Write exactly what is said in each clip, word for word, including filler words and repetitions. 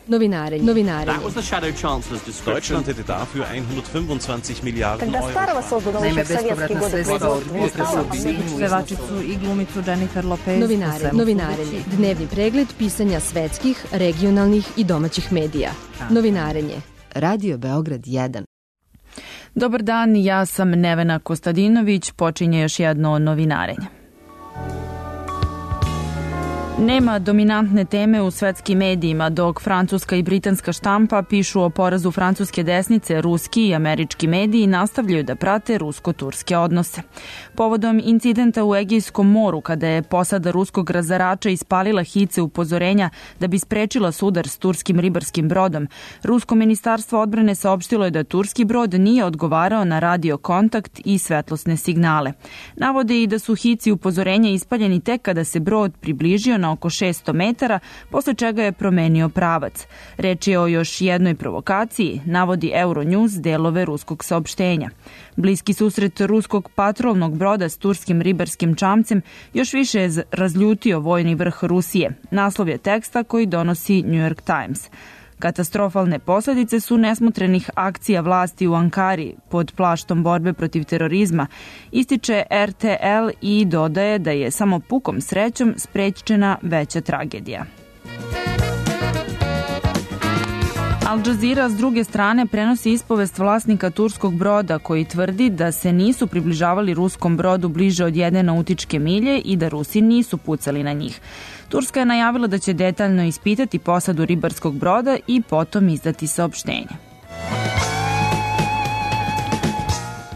Novinarenje. Novinarenje. Deutschland hätte dafür hundertfünfundzwanzig Milijarden Euro. Naime, bespovratna sredstva od potresa pevačicu i glumicu Jennifer Lopez. Novinarenje. Novinarenje. Dnevni pregled pisanja svetskih, regionalnih i domaćih medija. Novinarenje. Radio Beograd jedan. Dobar dan, ja sam Nevena Kostadinović, počinje još jedno novinarenje. Nema dominantne teme u svetskim medijima, dok francuska i britanska štampa pišu o porazu francuske desnice, ruski i američki mediji nastavljaju da prate rusko-turske odnose. Povodom incidenta u Egejskom moru, kada je posada ruskog razarača ispalila hice upozorenja da bi sprečila sudar s turskim ribarskim brodom, rusko ministarstvo odbrane saopštilo je da turski brod nije odgovarao na radio kontakt i svetlosne signale. Navode i da su hici upozorenja ispaljeni tek kada se brod približio na oko šesto metara, posle čega je promenio pravac. Reč je o još jednoj provokaciji, navodi Euronews delove ruskog saopštenja. Bliski susret ruskog patrolnog broda s turskim ribarskim čamcem još više je razljutio vojni vrh Rusije. Naslov je teksta koji donosi New York Times. Katastrofalne posljedice su nesmotrenih akcija vlasti u Ankari pod plaštom borbe protiv terorizma, ističe R T L i dodaje da je samo pukom srećom sprečena veća tragedija. Al Jazeera s druge strane prenosi ispovest vlasnika turskog broda koji tvrdi da se nisu približavali ruskom brodu bliže od jedne nautičke milje i da Rusi nisu pucali na njih. Turska je najavila da će detaljno ispitati posadu ribarskog broda i potom izdati saopštenje.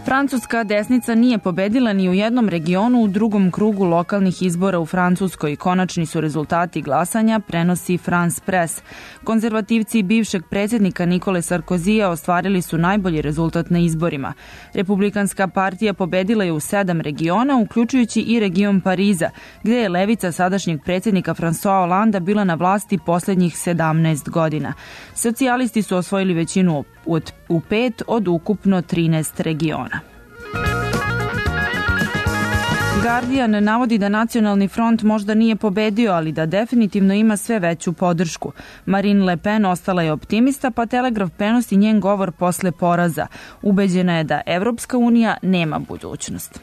Francuska desnica nije pobedila ni u jednom regionu u drugom krugu lokalnih izbora u Francuskoj. Konačni su rezultati glasanja, prenosi France Press. Konzervativci bivšeg predsjednika Nikole Sarkozija ostvarili su najbolji rezultat na izborima. Republikanska partija pobedila je u sedam regiona, uključujući i region Pariza, gde je levica sadašnjeg predsjednika François Hollanda bila na vlasti posljednjih sedamnaest godina. Socijalisti su osvojili većinu u pet od ukupno trinaest regiona. Guardian navodi da Nacionalni front možda nije pobedio, ali da definitivno ima sve veću podršku. Marine Le Pen ostala je optimista, pa Telegraf prenosi njen govor posle poraza. Ubeđena je da Evropska unija nema budućnost.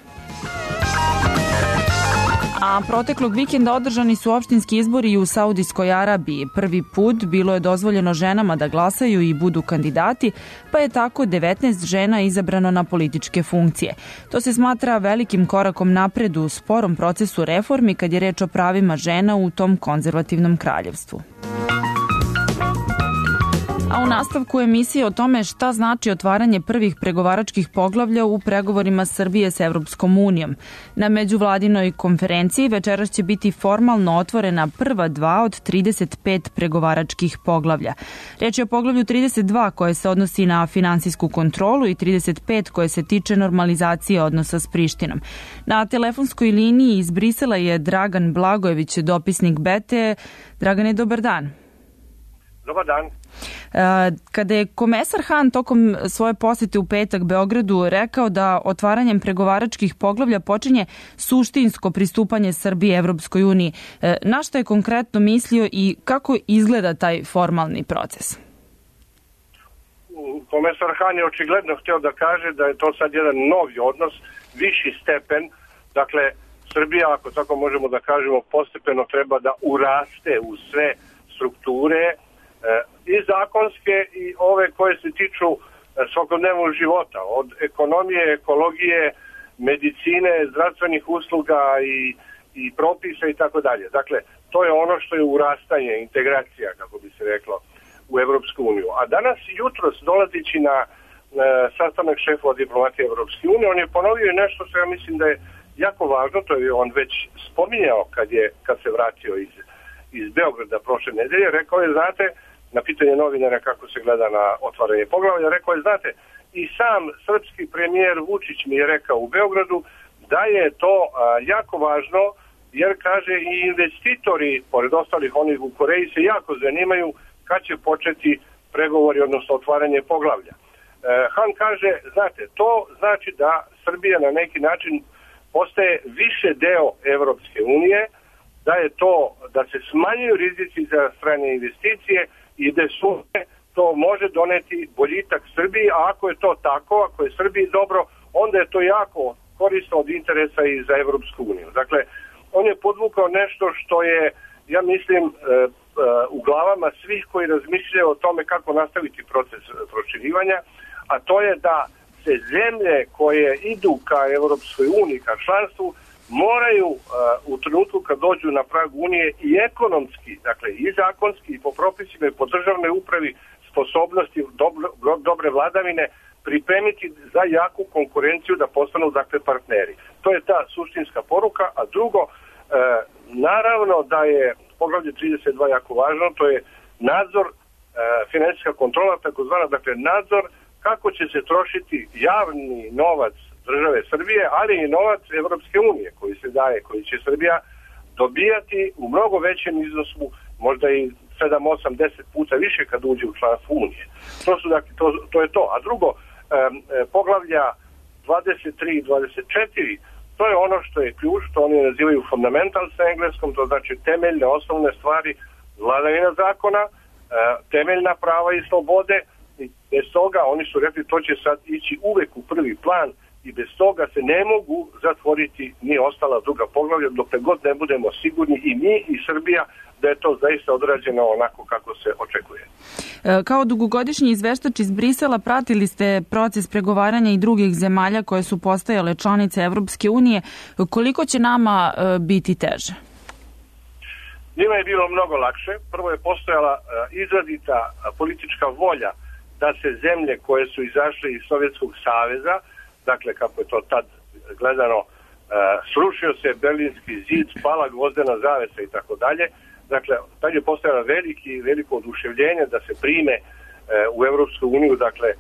A proteklog vikenda održani su opštinski izbori i u Saudijskoj Arabiji. Prvi put bilo je dozvoljeno ženama da glasaju i budu kandidati, pa je tako devetnaest žena izabrano na političke funkcije. To se smatra velikim korakom napred u sporom procesu reformi kad je reč o pravima žena u tom konzervativnom kraljevstvu. A u nastavku emisije o tome šta znači otvaranje prvih pregovaračkih poglavlja u pregovorima Srbije s Evropskom unijom. Na međuvladinoj konferenciji večeras će biti formalno otvorena prva dva od trideset pet pregovaračkih poglavlja. Reč je o poglavlju trideset dva koje se odnosi na finansijsku kontrolu i trideset pet koje se tiče normalizacije odnosa s Prištinom. Na telefonskoj liniji iz Brisela je Dragan Blagojević, dopisnik B T. Dragane, dobar dan. Dobar dan. Kada je komesar Han tokom svoje posete u petak Beogradu rekao da otvaranjem pregovaračkih poglavlja počinje suštinsko pristupanje Srbije Evropskoj uniji, na šta je konkretno mislio i kako izgleda taj formalni proces? Komesar Han je očigledno htio da kaže da je to sad jedan novi odnos, viši stepen, dakle Srbija, ako tako možemo da kažemo, postepeno treba da uraste u sve strukture i zakonske i ove koje se tiču svakodnevnog života, od ekonomije, ekologije, medicine, zdravstvenih usluga i, i propisa i tako dalje. Dakle, to je ono što je urastanje, integracija, kako bi se reklo, u Evropsku uniju. A danas jutros, dolazići na e, sastanak šefova diplomatije Evropske unije, on je ponovio nešto što ja mislim da je jako važno, to je on već spominjao kad, je, kad se vratio iz, iz Beograda prošle nedelje, rekao je, znate, na pitanje novinara kako se gleda na otvaranje poglavlja, rekao je, znate, i sam srpski premijer Vučić mi je rekao u Beogradu da je to a, jako važno, jer kaže i investitori, pored ostalih onih u Koreji, se jako zanimaju kad će početi pregovori, odnosno otvaranje poglavlja. E, Han kaže, znate, to znači da Srbija na neki način postaje više deo Evropske unije, da je to, da se smanjuju rizici za strane investicije i de sume to može doneti boljitak Srbiji, a ako je to tako, ako je Srbiji dobro, onda je to jako korisno od interesa i za Evropsku uniju. Dakle, on je podvukao nešto što je, ja mislim, u glavama svih koji razmišljaju o tome kako nastaviti proces proširivanja, a to je da se zemlje koje idu ka Evropskoj uniji, ka članstvu, moraju uh, u trenutku kad dođu na prag Unije i ekonomski, dakle i zakonski i po propisima i po državnoj upravi sposobnosti dobro, dobre vladavine pripremiti za jaku konkurenciju da postanu dakle partneri. To je ta suštinska poruka, a drugo, uh, naravno da je poglavlje trideset dva jako važno, to je nadzor, uh, finansijska kontrola, takozvana, dakle nadzor kako će se trošiti javni novac države Srbije, ali i novac Evropske unije koji se daje, koji će Srbija dobijati u mnogo većem iznosu, možda i sedam, osam, deset puta više kad uđe u članstvo Unije. To, su, dakle, to, to je to. A drugo, um, poglavlja dvadeset tri i dvadeset četiri, to je ono što je ključ, što oni nazivaju fundamental sa engleskom, to znači temeljne, osnovne stvari, vladavina zakona, uh, temeljna prava i slobode, i bez toga oni su rekli to će sad ići uvek u prvi plan i bez toga se ne mogu zatvoriti ni ostala druga poglavlja dokle god ne budemo sigurni i mi i Srbija da je to zaista odrađeno onako kako se očekuje. Kao dugogodišnji izveštač iz Brisela pratili ste proces pregovaranja i drugih zemalja koje su postajale članice Evropske unije. Koliko će nama biti teže? Njima je bilo mnogo lakše. Prvo je postojala izrazita politička volja da se zemlje koje su izašle iz Sovjetskog saveza, dakle kako je to tad gledano, uh, srušio se Berlinski zid, pala gvozdena zavesa i tako dalje. Dakle, tad je postojalo veliki, veliko oduševljenje da se prime uh, u Evropsku uniju, dakle, uh,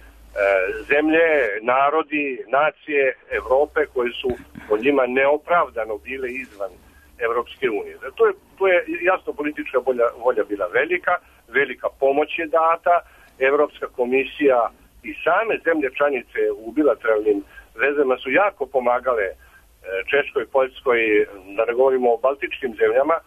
zemlje, narodi, nacije Evrope koji su po njima neopravdano bile izvan Evropske unije. To je, to je jasno politička volja, volja bila velika, velika pomoć je data, Evropska komisija i same zemlje članice u bilateralnim vezama su jako pomagale Češkoj, Poljskoj, da ne govorimo o baltičkim zemljama,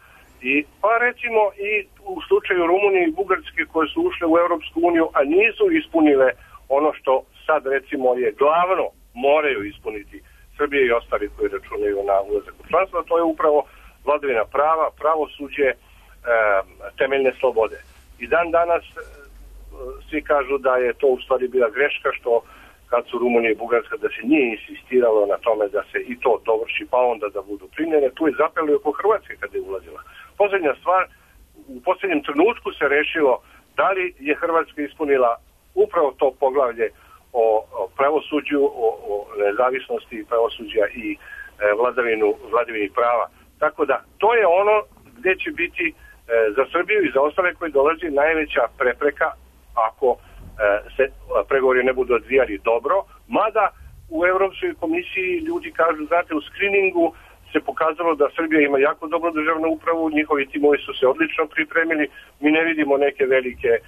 i pa recimo i u slučaju Rumunije i Bugarske koje su ušle u Evropsku uniju, a nisu ispunile ono što sad recimo je glavno moraju ispuniti Srbije i ostali koji računaju na ulazak u članstvo, to je upravo vladavina prava, pravosuđe, e, temeljne slobode. I dan danas svi kažu da je to u stvari bila greška što kad su Rumunija i Bugarska da se nije insistiralo na tome da se i to dovrši pa onda da budu primljene. Tu je zapelo i oko Hrvatske kada je ulazila. Posljednja stvar, u posljednjem trenutku se rešilo da li je Hrvatska ispunila upravo to poglavlje o, o pravosuđu, o, o nezavisnosti pravosuđa i e, vladavinu, vladavini prava. Tako da to je ono gdje će biti e, za Srbiju i za ostale koji dolazi najveća prepreka ako se pregovori ne budu odvijali dobro, mada u Evropskoj komisiji ljudi kažu, znate, u skriningu se pokazalo da Srbija ima jako dobro državnu upravu, njihovi timovi su se odlično pripremili, mi ne vidimo neke velike e,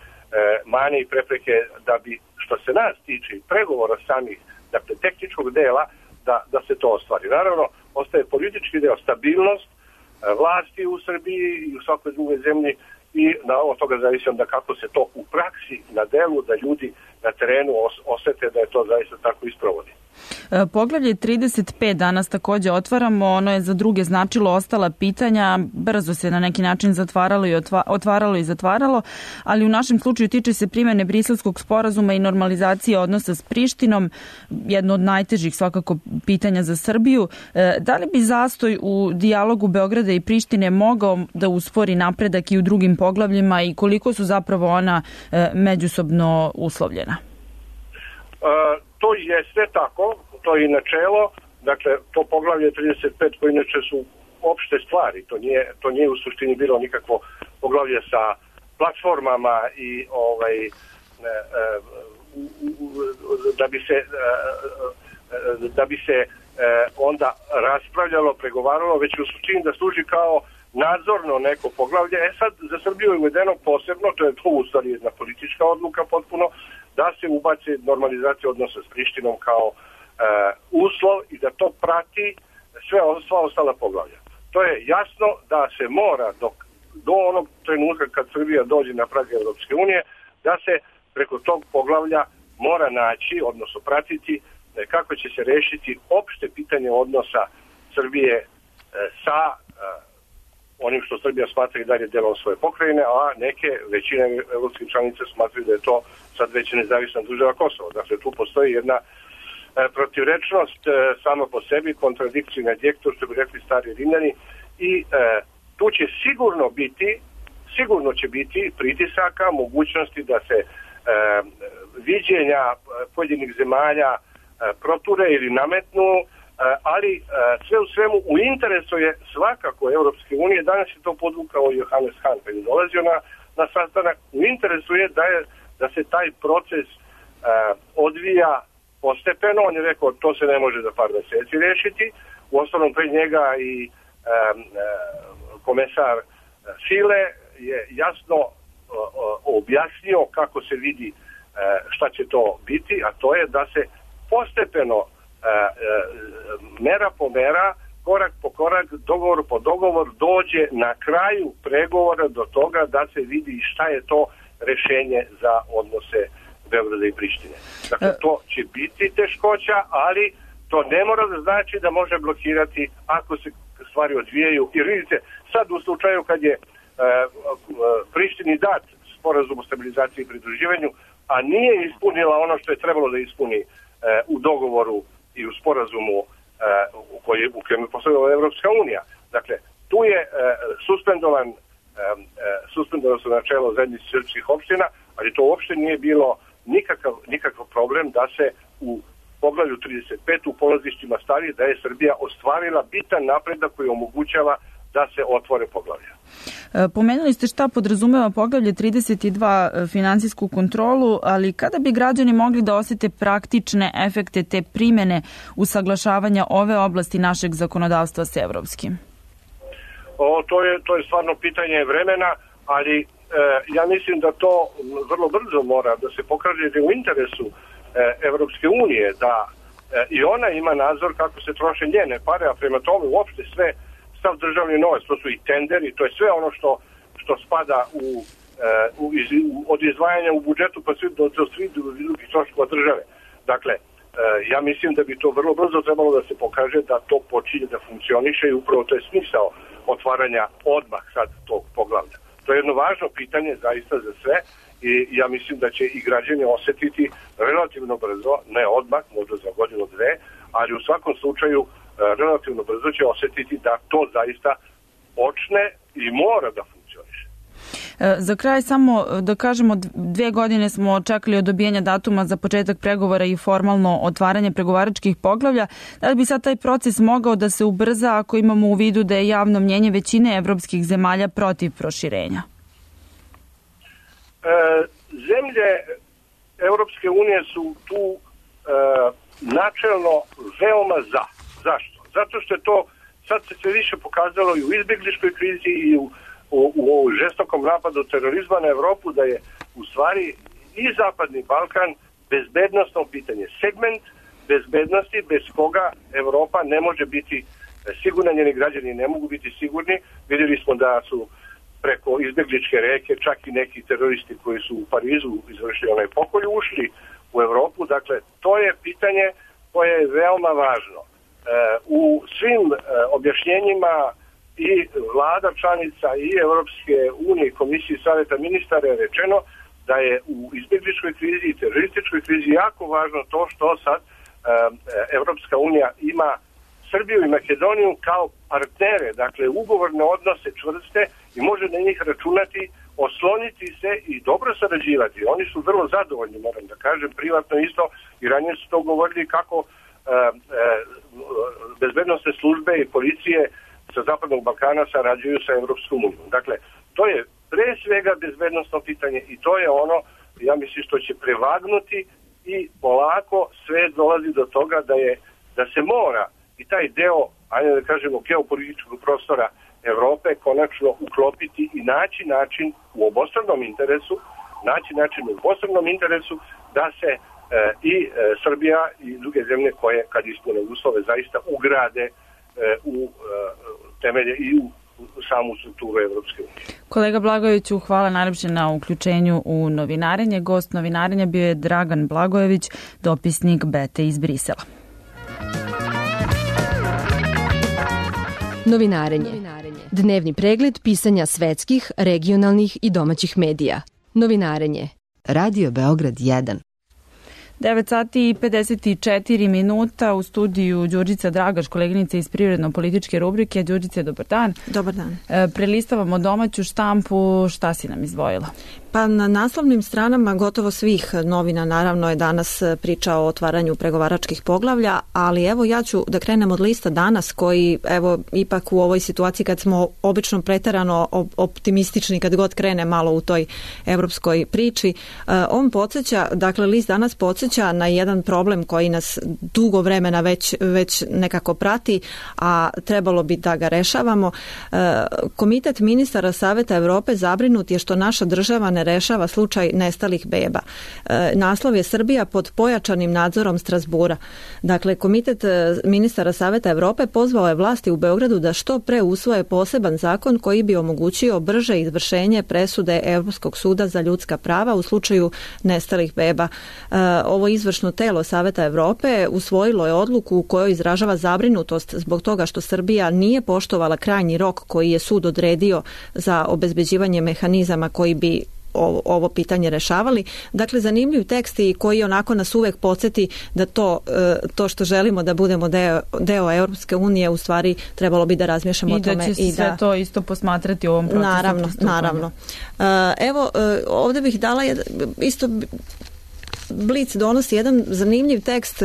mane i prepreke da bi, što se nas tiče, pregovora samih, dakle, tehničkog dela, da, da se to ostvari. Naravno, ostaje politički deo, stabilnost e, vlasti u Srbiji i u svakoj drugoj zemlji, i na od toga zavisi onda kako se to u praksi na delu, da ljudi na terenu osete da je to zaista tako isprovodi. Poglavlje trideset pet danas također otvaramo, ono je za druge značilo ostala pitanja, brzo se na neki način zatvaralo i otva, otvaralo i zatvaralo, ali u našem slučaju tiče se primjene Briselskog sporazuma i normalizacije odnosa s Prištinom, jedno od najtežih svakako pitanja za Srbiju. Da li bi zastoj u dijalogu Beograda i Prištine mogao da uspori napredak i u drugim poglavljima i koliko su zapravo ona međusobno uslovljena? Uh, to jeste tako, to je i načelo, dakle to poglavlje trideset pet koje inače su opšte stvari, to nije, to nije u suštini bilo nikakvo poglavlje sa platformama i ovaj e, e, da bi se e, da bi se e, onda raspravljalo, pregovaralo, već u suštini da služi kao nadzorno neko poglavlje. E sad za Srbiju je uvedeno posebno, to je to u stvari jedna politička odluka potpuno, da se ubaci normalizacija odnosa s Prištinom kao e, uslov i da to prati sve sva ostala poglavlja. To je jasno da se mora dok do onog trenutka kad Srbija dođe na prag Europske unije, da se preko tog poglavlja mora naći, odnosno pratiti kako će se rešiti opšte pitanje odnosa Srbije sa onim što Srbija smatra i dalje delom svoje pokrajine, a neke većine evropskih članica smatraju da je to sad već nezavisna država Kosovo. Dakle, tu postoji jedna protivrečnost sama po sebi, kontradikciju na djektor, što bi rekli stari Rimljani, i e, tu će sigurno biti, sigurno će biti pritisaka, mogućnosti da se e, viđenja pojedinih zemalja e, proture ili nametnu, e, ali e, sve u svemu u interesu je svakako Europske unije. Danas je to podvukao Johannes Hahn kad je dolazio na, na sastanak. U interesu je da, je da se taj proces e, odvija postepeno. On je rekao to se ne može za par meseci rešiti. U osnovnom pre njega i e, e, komesar File je jasno o, o, objasnio kako se vidi e, šta će to biti, a to je da se postepeno e, e, mera po mera, korak po korak, dogovor po dogovor dođe na kraju pregovora do toga da se vidi šta je to rešenje za odnose Beograda i Prištine. Dakle, to će biti teškoća, ali to ne mora da znači da može blokirati ako se stvari odvijaju. Jer vidite, sad u slučaju kad je e, Prištini dat sporazum o stabilizaciji i pridruživanju, a nije ispunila ono što je trebalo da ispuni e, u dogovoru i u sporazumu e, u kojem u kojem je postavila Evropska unija. Dakle, tu je e, suspendovan e, suspendovano su načelo zajednice srpskih opština, ali to uopšte nije bilo nikakav, nikakav problem da se u poglavlju trideset pet u polazištima stvari da je Srbija ostvarila bitan napredak koji omogućava da se otvore poglavlja. Pomenuli ste šta podrazumeva poglavlje trideset dva finansijsku kontrolu, ali kada bi građani mogli da osete praktične efekte te primene usaglašavanja ove oblasti našeg zakonodavstva s evropskim? O, to je, to je stvarno pitanje vremena, ali e, ja mislim da to vrlo brzo mora da se pokaže da je u interesu e, Evropske unije, da e, i ona ima nadzor kako se troše njene pare, a prema tome uopšte sve stav državni novac, to su i tenderi, to je sve ono što, što spada u, e, u, iz, u, od izdvajanja u budžetu pa sve do, do svih drugih troškova države. Dakle, e, ja mislim da bi to vrlo brzo trebalo da se pokaže da to počinje da funkcioniše i upravo to je smisao otvaranja odmah sad tog poglavlja. To je jedno važno pitanje zaista za sve i ja mislim da će i građani osetiti relativno brzo, ne odmah, možda za godinu dve, ali u svakom slučaju relativno brzo će osetiti da to zaista počne i mora da funkcioniše. Za kraj samo da kažemo, dve godine smo čekali od dobijanja datuma za početak pregovora i formalno otvaranje pregovaračkih poglavlja. Da li bi sad taj proces mogao da se ubrza ako imamo u vidu da je javno mnjenje većine evropskih zemalja protiv proširenja? E, zemlje Evropske unije su tu e, načelno veoma za. Zašto? Zato što je to sad se sve više pokazalo i u izbjegličkoj krizi i u U, u žestokom napadu terorizma na Evropu, da je u stvari i Zapadni Balkan bezbednostno pitanje. Segment bezbednosti bez koga Evropa ne može biti sigurna, njeni građani ne mogu biti sigurni. Vidjeli smo da su preko izbjegličke reke čak i neki teroristi koji su u Parizu izvršili onaj pokolj ušli u Evropu. Dakle, to je pitanje koje je veoma važno. E, u svim e, objašnjenjima i vlada članica i Evropske unije i Komisije Saveta ministara je rečeno da je u izbjegličkoj krizi i terorističkoj krizi jako važno to što sad e, Evropska unija ima Srbiju i Makedoniju kao partnere, dakle ugovorne odnose čvrste i može na njih računati, osloniti se i dobro sarađivati. Oni su vrlo zadovoljni, moram da kažem, privatno isto i ranije su to govorili kako e, e, bezbednostne službe i policije sa Zapadnog Balkana sarađuju sa Evropskom unijom. Dakle, to je pre svega bezbednostno pitanje i to je ono, ja mislim, što će prevagnuti i polako sve dolazi do toga da je da se mora i taj deo, ajde da kažemo, geopolitičkog prostora Evrope konačno uklopiti i naći način u obostranom interesu, naći način u obostranom interesu da se e, i e, Srbija i druge zemlje koje, kad ispune uslove, zaista ugrade u temelje i u samu strukturu Evropske unije. Kolega Blagojeviću, hvala najlepše na uključenju u novinarenje. Gost novinarenja bio je Dragan Blagojević, dopisnik Bete iz Brisela. Novinarenje. Dnevni pregled pisanja svetskih, regionalnih i domaćih medija. Novinarenje. Radio Beograd jedan. devet sati i pedeset četiri minuta, u studiju Đurđica Dragaš, koleginica iz privredno-političke rubrike. Đurđice, dobar dan. Dobar dan. E, prelistavamo domaću štampu, šta si nam izdvojila? Pa na naslovnim stranama gotovo svih novina naravno je danas priča o otvaranju pregovaračkih poglavlja, ali evo ja ću da krenem od lista Danas koji evo ipak u ovoj situaciji kad smo obično preterano optimistični kad god krene malo u toj evropskoj priči, on podsjeća, dakle list Danas podsjeća na jedan problem koji nas dugo vremena već, već nekako prati, a trebalo bi da ga rešavamo. Komitet ministara Saveta Evrope zabrinut je što naša država ne rešava slučaj nestalih beba. E, naslov je Srbija pod pojačanim nadzorom Strasbura. Dakle, Komitet ministara Saveta Evrope pozvao je vlasti u Beogradu da što pre usvoje poseban zakon koji bi omogućio brže izvršenje presude Evropskog suda za ljudska prava u slučaju nestalih beba. E, ovo izvršno telo Saveta Evrope usvojilo je odluku u kojoj izražava zabrinutost zbog toga što Srbija nije poštovala krajnji rok koji je sud odredio za obezbeđivanje mehanizama koji bi Ovo, ovo pitanje rešavali. Dakle, zanimljiv tekst i koji onako nas uvek podsjeti da to, to što želimo da budemo deo, deo Europske unije u stvari trebalo bi da razmišljamo o tome. I da će se sve da, to isto posmatrati u ovom procesu. Naravno, naravno. Evo, ovdje bih dala jed, isto Blic donosi jedan zanimljiv tekst,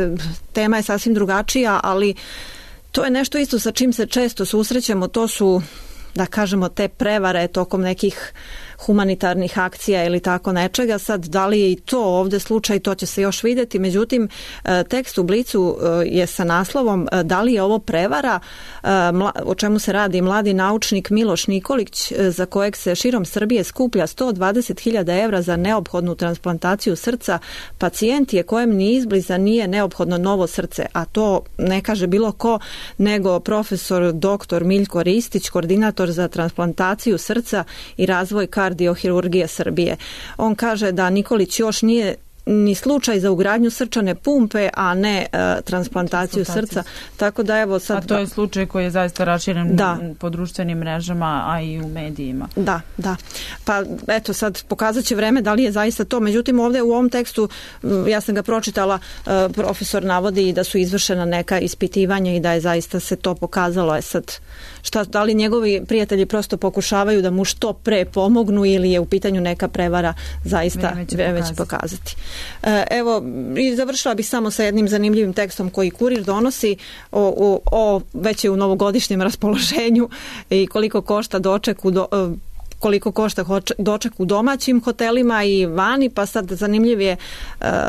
tema je sasvim drugačija, ali to je nešto isto sa čim se često susrećemo, to su, da kažemo, te prevare tokom nekih humanitarnih akcija ili tako nečega. Sad, da li je i to ovdje slučaj, to će se još vidjeti. Međutim, tekst u Blicu je sa naslovom da li je ovo prevara, o čemu se radi mladi naučnik Miloš Nikolić, za kojeg se širom Srbije skuplja sto dvadeset hiljada evra za neophodnu transplantaciju srca. Pacijent je kojem ni izbliza nije neophodno novo srce, a to ne kaže bilo ko nego profesor doktor Miljko Ristić, koordinator za transplantaciju srca i razvoj kardiohirurgije Srbije. On kaže da Nikolić još nije ni slučaj za ugradnju srčane pumpe, a ne e, transplantaciju srca. Tako da evo sad... A to je slučaj koji je zaista raširen da. po društvenim mrežama, a i u medijima. Da, da. Pa eto sad pokazat će vreme da li je zaista to. Međutim, ovdje u ovom tekstu, ja sam ga pročitala, e, profesor navodi da su izvršena neka ispitivanja i da je zaista se to pokazalo. Je sad, šta, da li njegovi prijatelji prosto pokušavaju da mu što pre pomognu ili je u pitanju neka prevara, zaista vreme će pokazati. Evo, i završila bih samo sa jednim zanimljivim tekstom koji Kurir donosi o, o, o već je u novogodišnjem raspoloženju i koliko košta doček u do, koliko košta doček u domaćim hotelima i vani, pa sad zanimljiv je e,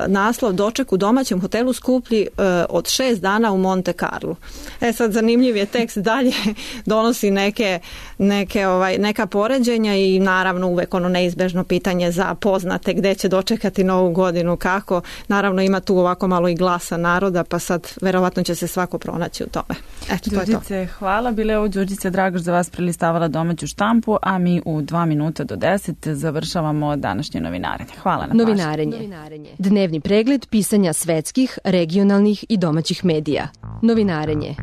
naslov doček u domaćem hotelu skuplji e, od šest dana u Monte Carlo. E sad zanimljiv je tekst dalje, donosi neke, neke ovaj, neka poređenja i naravno uvek ono neizbežno pitanje za poznate gde će dočekati novu godinu, kako. Naravno ima tu ovako malo i glasa naroda, pa sad verovatno će se svako pronaći u tome. Eto, to je to. Đurđice, hvala. Bile je ovo Đurđica Dragaš za vas prelistavala domaću štampu, a mi u dva minuta do deset završavamo današnje novinarenje. Hvala na pažnji. Novinarenje. Novinarenje. Dnevni pregled pisanja svetskih, regionalnih i domaćih medija. Novinarenje.